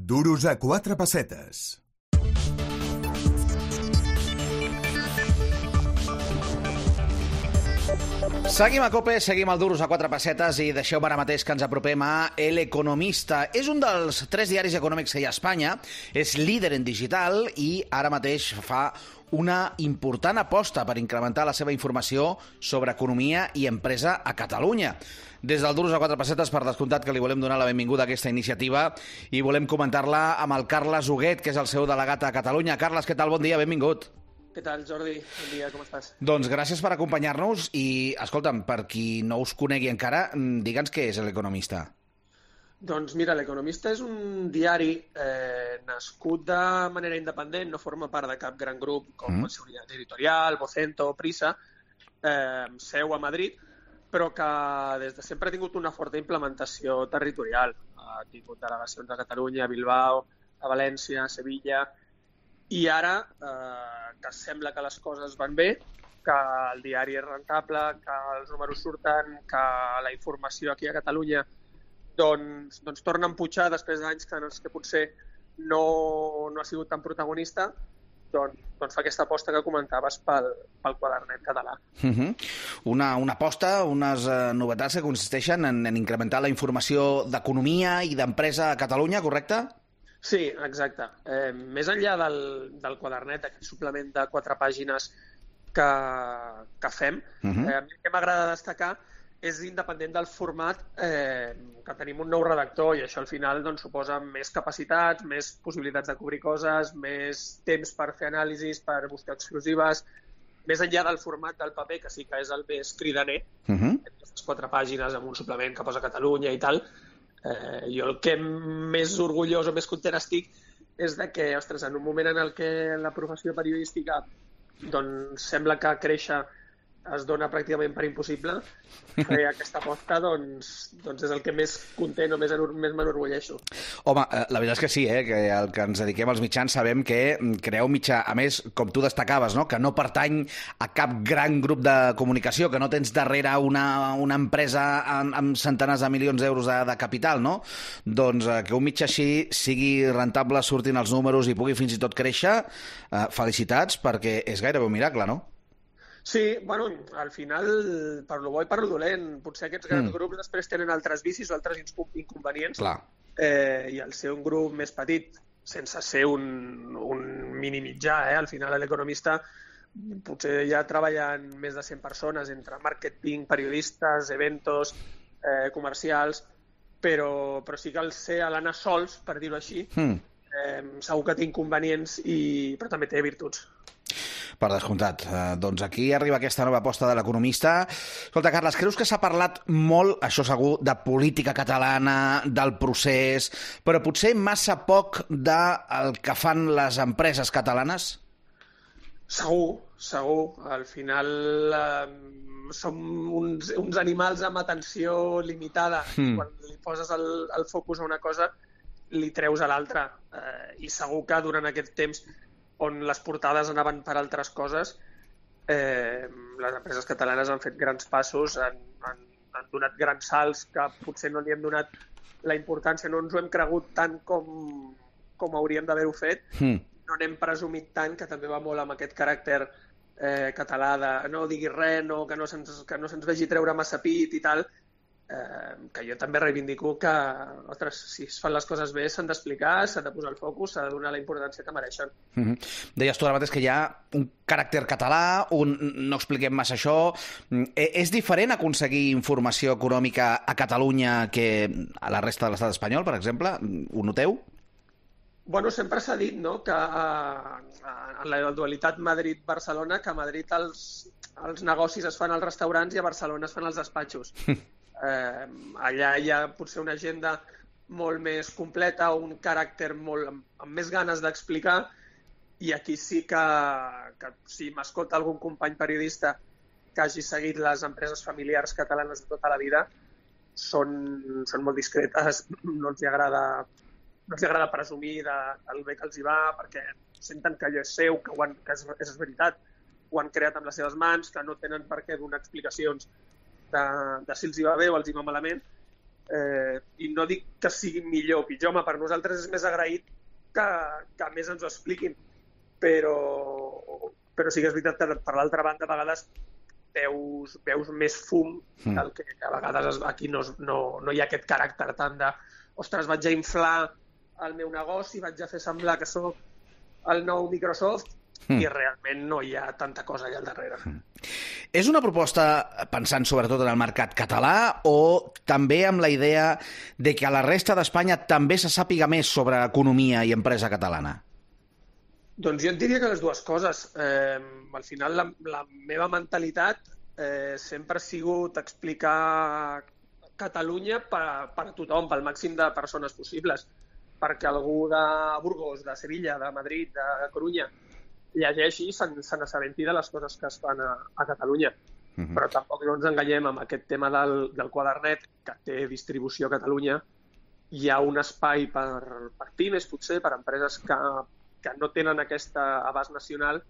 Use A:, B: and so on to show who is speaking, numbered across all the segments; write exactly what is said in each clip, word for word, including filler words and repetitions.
A: Duros a quatre pessetes.
B: Seguim a COPE, seguim al Duros a quatre pessetes i deixeu-me ara mateix que ens apropem a El Economista. És un dels tres diaris econòmics que hi ha a Espanya, és líder en digital i ara mateix fa una important aposta per incrementar la seva informació sobre economia i empresa a Catalunya. Des del Duros a quatre pessetes, per descomptat, que li volem donar la benvinguda a aquesta iniciativa i volem comentar-la amb el Carles Huguet, que és el seu delegat a Catalunya. Carles, què tal? Bon dia, benvingut.
C: Què tal, Jordi? Bon dia, com estàs?
B: Doncs gràcies per acompanyar-nos i, escolta'm, per qui no us conegui encara, digue'ns què és l'Economista.
C: Doncs mira, l'Economista és un diari eh, nascut de manera independent, no forma part de cap gran grup com mm. Seguridad Editorial, Vocento, Prisa, eh, seu a Madrid, però que des de sempre ha tingut una forta implementació territorial. Ha tingut delegacions a Catalunya, a Bilbao, a València, a Sevilla. I ara, eh, que sembla que les coses van bé, que el diari és rentable, que els números surten, que la informació aquí a Catalunya doncs, doncs torna a empujar després d'anys que, que potser no, no ha sigut tan protagonista, doncs, doncs fa aquesta aposta que comentaves pel, pel quadernet català.
B: Uh-huh. Una, una aposta, unes uh, novetats que consisteixen en, en incrementar la informació d'economia i d'empresa a Catalunya, correcte?
C: Sí, exacte. Eh, més enllà del, del quadernet, aquest suplement de quatre pàgines que, que fem, uh-huh. eh, el que m'agrada destacar és independent del format, eh, que tenim un nou redactor i això al final doncs, suposa més capacitats, més possibilitats de cobrir coses, més temps per fer anàlisis, per buscar exclusives, més enllà del format del paper, que sí que és el més cridaner, uh-huh. aquestes quatre pàgines amb un suplement que posa Catalunya i tal. Eh, jo el que més orgullós o més content estic és de que, ostres, en un moment en el que la professió periodística doncs, sembla que créixer es dona pràcticament per impossible, fer aquesta aposta doncs, doncs és el que més content o més, més m'enorgulleixo.
B: Home, la veritat és que sí, eh? Que el que ens dediquem als mitjans sabem que creeu mitjà, a més, com tu destacaves, no? Que no pertany a cap gran grup de comunicació, que no tens darrere una, una empresa amb, amb centenars de milions d'euros de, de capital, no? Doncs eh, que un mitjà així sigui rentable, surtin els números i pugui fins i tot créixer, eh, felicitats, perquè és gairebé un miracle, no?
C: Sí, bueno, al final, per lo bo i per lo dolent, potser aquests grans mm. grups després tenen altres vicis o altres inconvenients.
B: Clar.
C: Eh, I al ser un grup més petit, sense ser un, un mini mitjà, eh, al final a l'Economista potser ja treballen més de cent persones entre màrqueting, periodistes, eventos, eh, comercials, però, però sí que al ser a l'anar sols, per dir-ho així, mm. eh, segur que té inconvenients, i, però també té virtuts.
B: Per descomptat. Eh, doncs aquí arriba aquesta nova aposta de l'Economista. Escolta, Carles, creus que s'ha parlat molt, això segur, de política catalana, del procés, però potser massa poc del que fan les empreses catalanes?
C: Segur, segur. Al final eh, som uns, uns animals amb atenció limitada. Mm. Quan li poses el, el focus a una cosa, li treus a l'altra. Eh, I segur que durant aquest temps on les portades anaven per altres coses, eh, les empreses catalanes han fet grans passos, han, han, han donat grans salts que potser no li hem donat la importància, no ens ho hem cregut tant com, com hauríem d'haver-ho fet, mm. no n'hem presumit tant, que també va molt amb aquest caràcter eh, català de no diguis res, no, que, no se'ns, que no se'ns vegi treure massa pit i tal, eh, que jo també reivindico que, ostres, si es fan les coses bé s'han d'explicar, s'ha de posar el focus, s'ha de donar la importància que mereixen.
B: Mm-hmm. Deies tu ara mateix que hi ha un caràcter català, un no expliquem massa això. És diferent aconseguir informació econòmica a Catalunya que a la resta de l'estat espanyol, per exemple? Ho noteu?
C: Bueno, sempre s'ha dit, no?, que en la dualitat Madrid-Barcelona, que a Madrid els, els negocis es fan als restaurants i a Barcelona es fan als despatxos. Eh, allà hi ha potser una agenda molt més completa, un caràcter molt, amb, amb més ganes d'explicar, i aquí sí que, que si m'escolta algun company periodista que hagi seguit les empreses familiars catalanes de tota la vida, són, són molt discretes, no els agrada, no els agrada presumir de, del bé que els hi va, perquè senten que allò és seu, que, ho han, que és, és veritat, ho han creat amb les seves mans, que no tenen per què donar explicacions de, de si els hi va bé o els hi va malament, Eh, I no dic que sigui millor o pitjor, home, per nosaltres és més agraït que, que més ens ho expliquin, però, però sí que és veritat que per l'altra banda a vegades veus, veus més fum mm. del que a vegades aquí no, no, no hi ha aquest caràcter tant de ostres, vaig a inflar el meu negoci, vaig a fer semblar que sóc el nou Microsoft mm. i realment no hi ha tanta cosa allà al darrere. Mm.
B: És una proposta pensant sobretot en el mercat català o també amb la idea de que a la resta d'Espanya també se sàpiga més sobre economia i empresa catalana?
C: Doncs jo et diria que les dues coses. Eh, al final la, la meva mentalitat eh, sempre ha sigut explicar Catalunya per, per a tothom, pel màxim de persones possibles, perquè algú de Burgos, de Sevilla, de Madrid, de Corunya llegeixi i se n'assabenti de les coses que es fan a, a Catalunya. Uh-huh. Però tampoc no ens enganyem amb aquest tema del, del quadernet, que té distribució a Catalunya. Hi ha un espai per, per pimes, potser, per empreses que, que no tenen aquest abast nacional,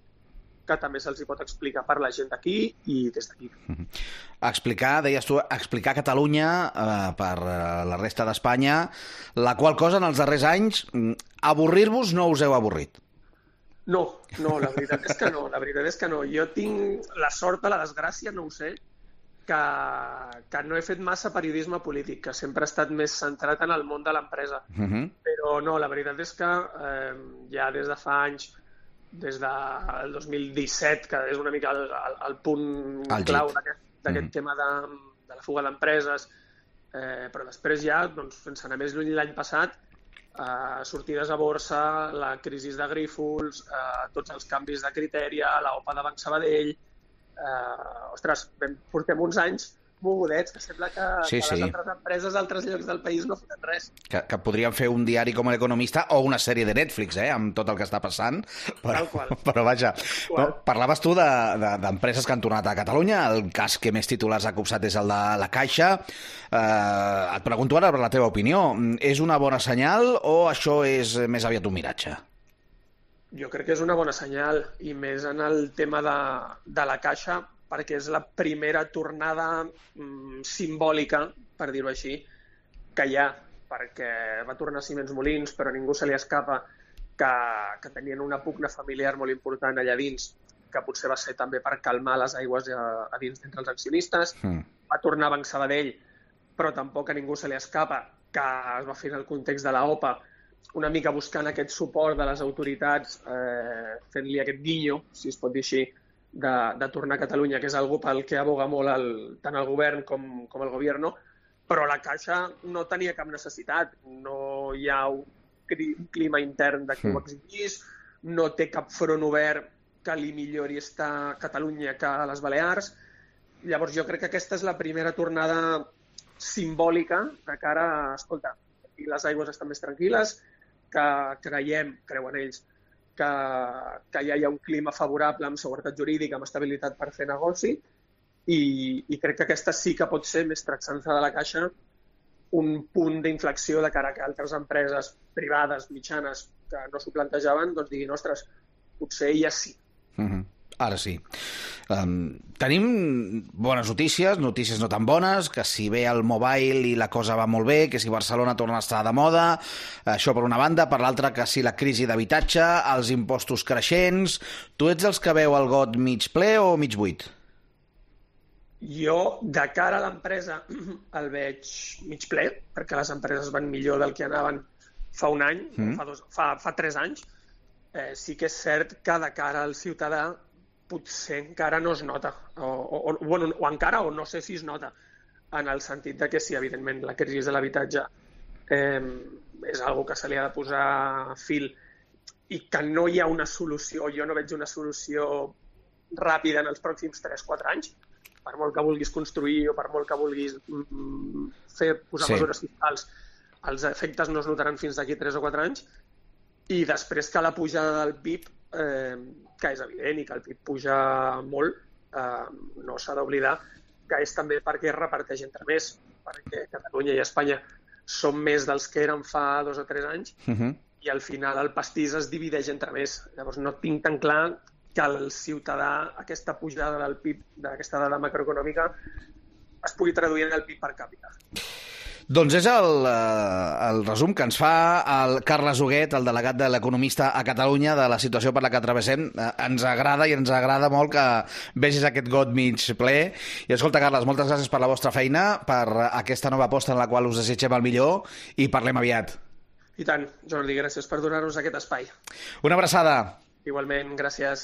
C: que també se'ls hi pot explicar per la gent d'aquí i des d'aquí. Uh-huh.
B: Explicar, deies tu, explicar Catalunya eh, per la resta d'Espanya, la qual cosa en els darrers anys, avorrir-vos no us heu avorrit.
C: No, no, la veritat és que no, la veritat és que no. Jo tinc la sort o la desgràcia, no ho sé, que, que no he fet massa periodisme polític, que sempre he estat més centrat en el món de l'empresa. Uh-huh. Però no, la veritat és que eh, ja des de fa anys, des del dos mil disset, que és una mica el, el, el punt el clau d'aquest, d'aquest uh-huh. tema de, de la fuga d'empreses, eh, però després ja, doncs, sense anar més lluny l'any passat, Uh, sortides a borsa, la crisi de Grífols, uh, tots els canvis de criteri, la O P A de Banc Sabadell, uh, ostres, portem uns anys mogudets, que sembla que,
B: sí,
C: que
B: sí.
C: les altres empreses d'altres llocs del país no foten res.
B: Que, que podríem fer un diari com l'Economista o una sèrie de Netflix, eh, amb tot el que està passant. Però, però vaja, no, parlaves tu d'empreses de, de, que han tornat a Catalunya, el cas que més titulars ha copsat és el de la Caixa. Eh, et pregunto ara per la teva opinió. És una bona senyal o això és més aviat un miratge?
C: Jo crec que és una bona senyal, i més en el tema de, de la Caixa, perquè és la primera tornada mm, simbòlica, per dir-ho així, que hi ha, perquè va tornar Siemens Molins, però a ningú se li escapa que, que tenien una pugna familiar molt important allà dins, que potser va ser també per calmar les aigües a, a dins d'entre els accionistes. Mm. Va tornar Banc Sabadell, però tampoc a ningú se li escapa que es va fer en el context de la O P A, una mica buscant aquest suport de les autoritats, eh, fent-li aquest guinyo, si es pot dir així, De, de tornar a Catalunya, que és algo pel que aboga molt el, tant el govern com, com el gobierno, però la Caixa no tenia cap necessitat. No hi ha un, un clima intern de que ho exigís, no té cap front obert que li millori estar a Catalunya que a les Balears. Llavors jo crec que aquesta és la primera tornada simbòlica de cara a, escolta, i les aigües estan més tranquil·les, que creiem, creuen ells, que, que ja hi ha un clima favorable amb seguretat jurídica, amb estabilitat per fer negoci, i, i crec que aquesta sí que pot ser, més tractant-se de la Caixa, un punt d'inflexió de cara que altres empreses privades, mitjanes, que no s'ho plantejaven, doncs diguin, ostres, potser ja sí.
B: Mm-hmm. Ara sí. Um, tenim bones notícies, notícies no tan bones, que si ve el mobile i la cosa va molt bé, que si Barcelona torna a estar de moda, això per una banda, per l'altra que si la crisi d'habitatge, els impostos creixents. Tu ets els que veu el got mig ple o mig buit?
C: Jo, de cara a l'empresa, el veig mig ple, perquè les empreses van millor del que anaven fa un any, mm. fa, dos, fa, fa tres anys. Eh, sí que és cert que de cara al ciutadà potser encara no es nota, o, o, bueno, o encara, o no sé si es nota, en el sentit de que sí, evidentment, la crisi de l'habitatge eh, és algo que se li ha de posar fil i que no hi ha una solució, jo no veig una solució ràpida en els pròxims tres quatre anys, per molt que vulguis construir o per molt que vulguis mm, fer, posar sí. mesures fiscals, els efectes no es notaran fins d'aquí tres o quatre anys, i després que la pujada del P I B, eh, que és evident i que el P I B puja molt, eh, no s'ha d'oblidar que és també perquè es reparteix entre més, perquè Catalunya i Espanya són més dels que eren fa dos o tres anys, uh-huh. i al final el pastís es divideix entre més. Llavors no tinc tan clar que el ciutadà, aquesta pujada del P I B, d'aquesta dada macroeconòmica, es pugui traduir en el P I B per càpita.
B: Doncs és el, el resum que ens fa el Carles Huguet, el delegat de l'Economista a Catalunya, de la situació per la que travessem. Ens agrada i ens agrada molt que vegis aquest got mig ple. I escolta, Carles, moltes gràcies per la vostra feina, per aquesta nova aposta en la qual us desitgem el millor i parlem aviat.
C: I tant, Jordi, gràcies per donar-nos aquest espai.
B: Una abraçada.
C: Igualment, gràcies.